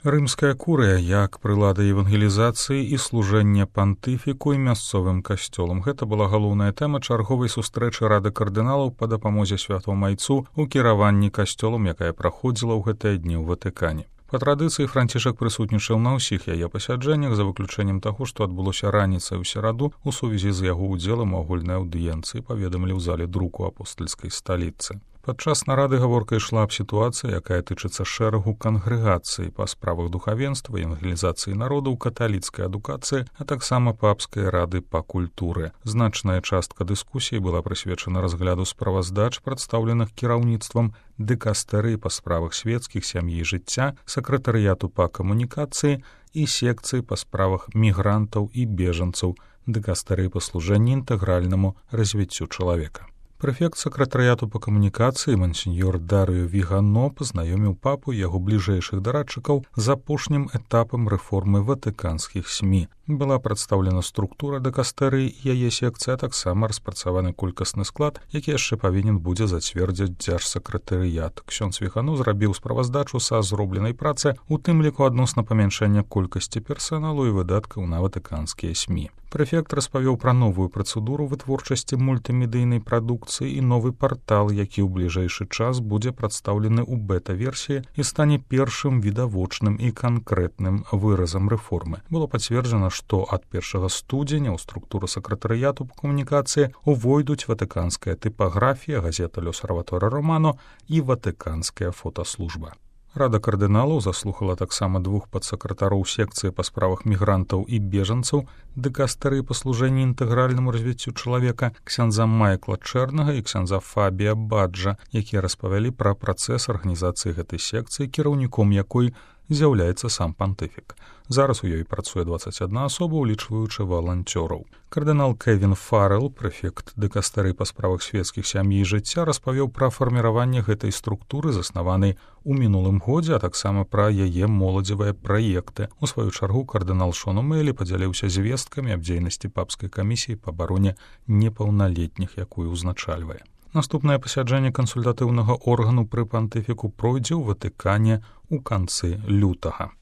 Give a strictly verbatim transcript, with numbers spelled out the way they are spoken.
Рымская курыя як прылада евангелізацыі і служэння пантыфіку і мясцовым касцёлам. Гэта была галоўная тэма чарговай сустрэчы рады кардыналаў па дапамозе святому майцу ў кіраванні касцёлам, якая праходзіла ў гэтыя дні ў Ватыкане. Па традыцыі Францішак прысутнічаў на ўсіх яе пасяджэннях, за выключэннем таго, што адбылося раніцай у сераду у сувязі з яго ўдзелам у агульнай аўдыенцыі, паведамілі ў зале друку апостальскай сталіцы. Падчас нарады гаворка ішла аб сітуацыі, якая тычыцца шэрагу кангрэгацый па справах духавенства, евангелізацыі народу, каталіцкай адукацыі, а таксама папскай рады па культуры. Значная частка дыскусіі была прысвечана разгляду справаздач, прадстаўленых кіраўніцтвам дыкастэрыі па справах свецкіх, сям'і і жыцця, сакратарыяту па камунікацыі і секцыі па справах мігрантаў і бежанцаў, дыкастэрыі па служэнні інтэгральнаму развіццю чалавека. Прэфект сакратарыяту па камунікацыі мансеньёр Дарыё Вігано пазнаёміў папу і яго бліжэйшых дарадчыкаў з апошнім этапам рэформы ватыканскіх СМІ. Была прадстаўлена структура дыкастэрыі і яе секцыя, а таксама распрацаваны колькасны склад, які яшчэ павінен будзе зацвердзіць дзяржсакратарыят. Ксёндз Вігано зрабіў справаздачу са зробленай працы, у тым ліку адносна памяншэння колькасці персаналу і выдаткаў на ватыканскія СМІ. Прэфект распавёў пра новую працэдуру вытворчасці мультымедыйнай прадукцыі і новы партал, які ў бліжэйшы час будзе прадстаўлены ў бета-версіі і стане першым відавочным і канкрэтным выразам рэформы. Было пацверджана, што ад першага студзеня ў структуру сакратарыяту па камунікацыі увойдуць ватыканская тыпаграфія, газета «L'Osservatore Romano» і ватыканская фотаслужба. Рада кардыналаў заслухала таксама двух падсакратароў секцыі па справах мігрантаў і бежанцаў, дыкастэрыі па служэнні інтэгральнаму развіццю чалавека, ксяндза Майкла Чэрнага і ксяндза Фабія Баджа, якія распавялі пра працэс арганізацыі гэтай секцыі, кіраўніком якой з'яўляецца сам пантыфік. Зараз у ёй працуе дваццаць адна асоба, улічваючы валанцёраў. Кардынал Кевін Фаррелл, прэфект дыкастэрыі па справах свецкіх, сям'і і жыцця, распавёў пра фарміраванне гэтай структуры, заснаванай у мінулым годзе, а таксама пра яе моладзевыя праекты. У сваю чаргу кардынал Шон О'Мэлі падзяліўся звесткамі аб дзейнасці папскай камісіі па абароне непаўналетніх, якую ўзначальвае. Наступнае пасяджэнне кансультатыўнага органу пры пантыфіку пройдзе ў Ватыкане ў канцы лютага.